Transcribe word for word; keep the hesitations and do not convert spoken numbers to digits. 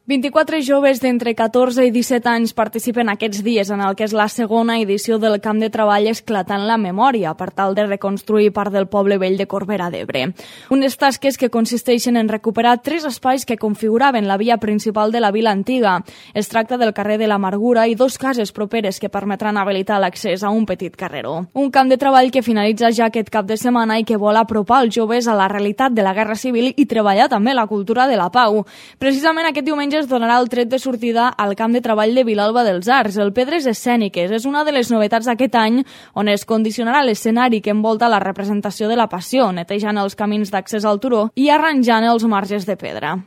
vint-i-quatre joves d'entre catorze i disset anys participen aquests dies en el que és la segona edició del Camp de Treball Esclatant la Memòria per tal de reconstruir part del poble vell de Corbera d'Ebre. Unes tasques que consisteixen en recuperar tres espais que configuraven la via principal de la vila antiga. Es tracta del carrer de l'Amargura i dos cases properes que permetran habilitar l'accés a un petit carreró. Un camp de treball que finalitza ja aquest cap de setmana i que vol apropar els joves a la realitat de la Guerra Civil i treballar també la cultura de la pau. Precisament aquest diumenge es donarà el tret de sortida al camp de treball de Vilalba dels Arcs. El Pedres Escèniques és una de les novetats d'aquest any, on es condicionarà l'escenari que envolta la representació de la Passió, netejant els camins d'accés al turó i arranjant els marges de pedra.